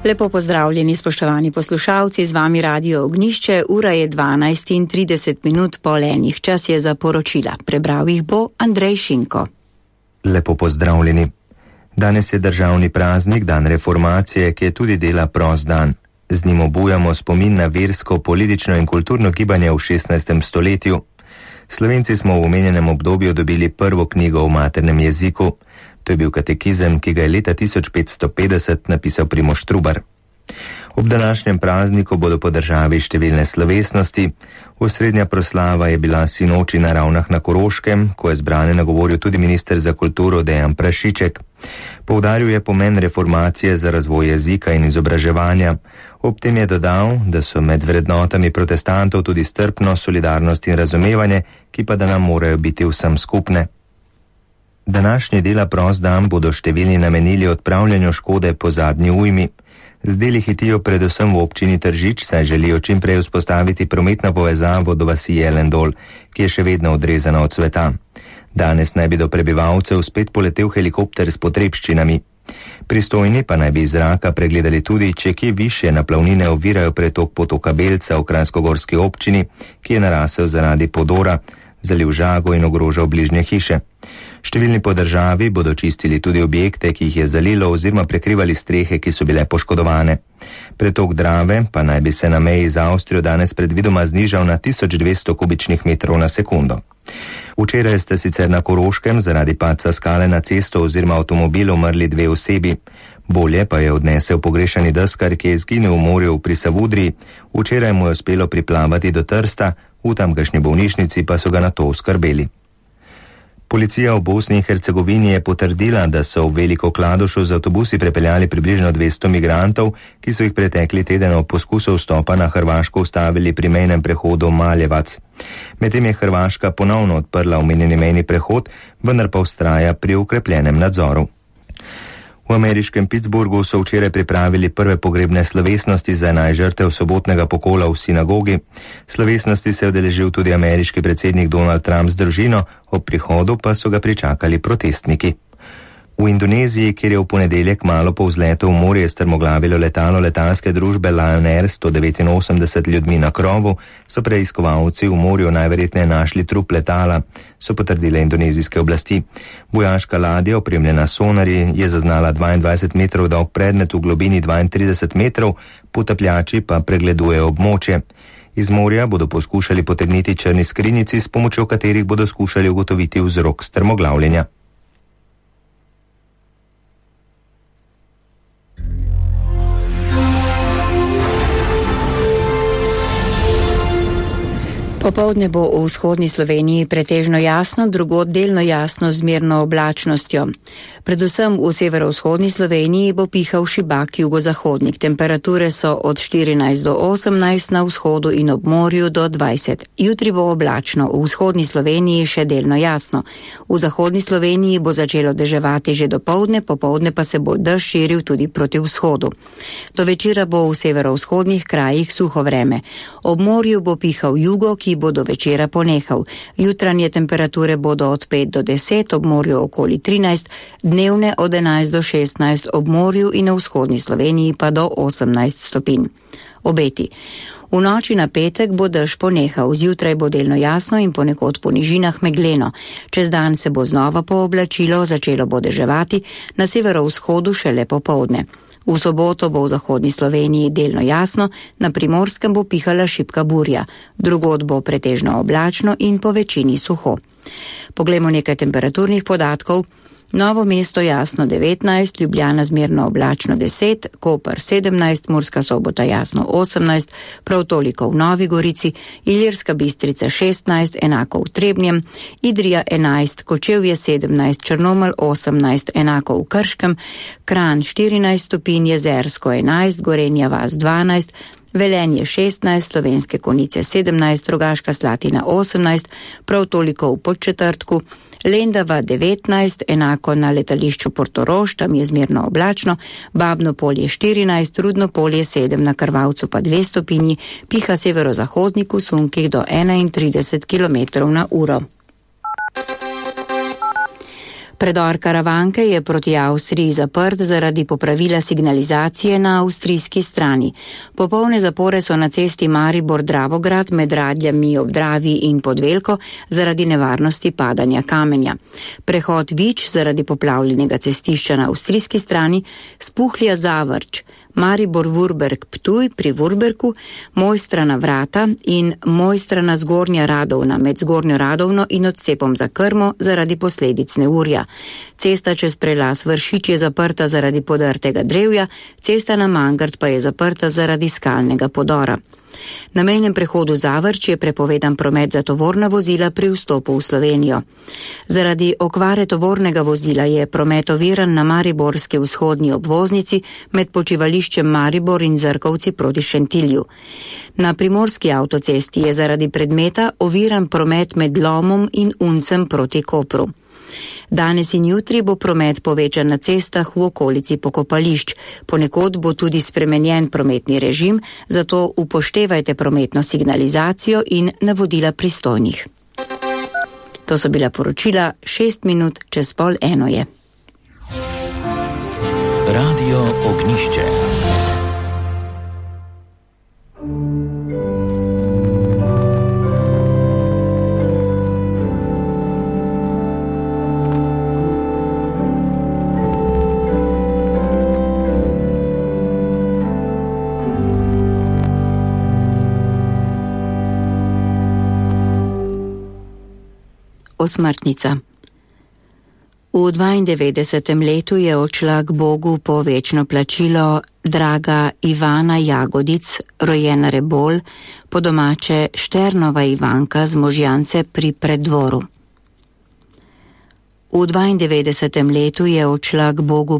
Lepo pozdravljeni, spoštovani poslušalci, z vami Radio Ognjišče, ura je 12:30 po enih, čas je za poročila. Prebral jih bo Andrej Šinko. Lepo pozdravljeni. Danes je državni praznik, dan reformacije, ki je tudi dela prost dan. Z njim obujamo spomin na versko, politično in kulturno gibanje v 16. stoletju. Slovenci smo v omenjenem obdobju dobili prvo knjigo v maternem jeziku. To je bil katekizem, ki ga je leta 1550 napisal Primož Trubar. Ob današnjem prazniku bodo po državi številne slovesnosti. Osrednja proslava je bila sinoči na Ravnah na Koroškem, ko je zbrane nagovoril tudi minister za kulturo Dejan Prašiček. Poudaril je pomen reformacije za razvoj jezika in izobraževanja. Ob tem je dodal, da so med vrednotami protestantov tudi strpnost, solidarnost in razumevanje, ki pa da nam morajo biti vsem skupne. Današnji dela prost dan bodo številni namenili odpravljanju škode po zadnji ujmi. Z deli hitijo predvsem v občini Tržič, saj želijo čim prej vzpostaviti prometno povezavo do vasi Jelendol, ki je še vedno odrezana od sveta. Danes naj bi do prebivalcev spet poletel helikopter s potrebščinami. Pristojni pa naj bi iz zraka pregledali tudi, če kje višje naplavnine ovirajo pretok potoka Belca v Kranjskogorski občini, ki je narasel zaradi podora, zaliv žago in ogrožal bližnje hiše. Številni po državi bodo čistili tudi objekte, ki jih je zalilo oziroma prekrivali strehe, ki so bile poškodovane. Pretok Drave pa naj bi se na meji z Avstrijo danes predvidoma znižal na 1200 kubičnih metrov na sekundo. Včeraj sta sicer na Koroškem zaradi padca skale na cesto oziroma avtomobil umrli 2 osebi. Bolje pa je odnesel pogrešani deskar, ki je izginil v morju pri Savudriji. Včeraj mu je uspelo priplavati do Trsta, v tamkajšnji bolnišnici pa so ga nato oskrbeli. Policija v Bosni in Hercegovini je potrdila, da so v Veliko Kladušu z avtobusi prepeljali približno 200 migrantov, ki so jih pretekli teden ob poskusu vstopa na Hrvaško ustavili pri mejnem prehodu Maljevac. Medtem je Hrvaška ponovno odprla omenjeni mejni prehod, vendar pa vztraja pri ukrepljenem nadzoru. V ameriškem Pittsburghu so včeraj pripravili prve pogrebne slovesnosti za 11 žrtev sobotnega pokola v sinagogi. Slovesnosti se je udeležil tudi ameriški predsednik Donald Trump z družino, ob prihodu pa so ga pričakali protestniki. V Indoneziji, kjer je v ponedeljek malo po vzletu v morje strmoglavilo letalo letalske družbe Lion Air 189 ljudmi na krovu, so preiskovalci v morju najverjetneje našli trup letala, so potrdile indonezijske oblasti. Vojaška ladja, opremljena sonarji, je zaznala 22 metrov dolg predmet v globini 32 metrov, potapljači pa pregledujejo območje. Iz morja bodo poskušali potegniti črni skrinjici, s pomočjo katerih bodo skušali ugotoviti vzrok strmoglavljenja. Popoldne bo v vzhodni Sloveniji pretežno jasno, drugod delno jasno z zmerno oblačnostjo. Predvsem v severovzhodni Sloveniji bo pihal šibak jugozahodnik. Temperature so od 14 do 18, na vzhodu in ob morju do 20. Jutri bo oblačno, v vzhodni Sloveniji še delno jasno. V zahodni Sloveniji bo začelo deževati že dopoldne, popoldne pa se bo dež širil tudi proti vzhodu. Do večera bo v severovzhodnih krajih suho vreme. Ob morju bo pihal jugo, ki bo do večera ponehal. Jutranje temperature bodo od 5 do 10, ob morju okoli 13, dnevne od 11 do 16, ob morju in na vzhodni Sloveniji pa do 18 stopinj. Obeti. V noči na petek bo dež ponehal, zjutraj bo delno jasno in ponekod po nižinah megleno. Čez dan se bo znova pooblačilo, začelo bo deževati, na severovzhodu šele popoldne. V soboto bo v zahodni Sloveniji delno jasno, na Primorskem bo pihala šibka burja, drugod bo pretežno oblačno in po večini suho. Poglejmo nekaj temperaturnih podatkov. Novo Mesto jasno 19, Ljubljana zmerno oblačno 10, Koper 17, Murska Sobota jasno 18, prav toliko v Novi Gorici, Ilirska Bistrica 16, enako v Trebnjem, Idrija 11, Kočevje 17, Črnomelj 18, enako v Krškem, Kranj 14 stopinj, Jezersko 11, Gorenja vas 12, Velenje 16, Slovenske Konjice 17, Rogaška Slatina 18, prav toliko v Podčetrtku, Lendava 19, enako na letališču Portorož, tam je zmerno oblačno, Babno Polje 14, Rudno Polje 7, na Krvavcu pa 2 stopinji, piha severozahodnik v sunkih do 31 km/h. Predor Karavanke je proti Avstriji zaprt zaradi popravila signalizacije na avstrijski strani. Popolne zapore so na cesti Maribor-Dravograd med Radljami ob Dravi in Podvelko zaradi nevarnosti padanja kamenja. Prehod Vič zaradi poplavljenega cestišča na avstrijski strani, Spuhlja-Zavrč, Maribor-Vurberg-Ptuj pri Vurberku, Mojstrana Vrata in Mojstrana Zgornja Radovna med Zgornjo Radovno in odcepom za Krmo zaradi posledic neurja. Cesta čez prelaz Vršič je zaprta zaradi podrtega drevja, cesta na Mangart pa je zaprta zaradi skalnega podora. Na mejnem prehodu Zavrč je prepovedan promet za tovorna vozila pri vstopu v Slovenijo. Zaradi okvare tovornega vozila je promet oviran na mariborski vzhodni obvoznici med počivališčem Maribor in Zrkovci proti Šentilju. Na primorski avtocesti je zaradi predmeta oviran promet med Lomom in Uncem proti Kopru. Danes in jutri bo promet povečan na cestah v okolici pokopališč. Ponekod bo tudi spremenjen prometni režim, zato upoštevajte prometno signalizacijo in navodila pristojnih. To so bila poročila, 6 minut čez 12:30 je. Radio Ognišče. Osmrtnica. V 92. letu je odšla k Bogu po večno plačilo draga Ivana Jagodic, rojena Rebol, po domače Šternova Ivanka z Možjance pri Preddvoru. V 92. letu je odšla k Bogu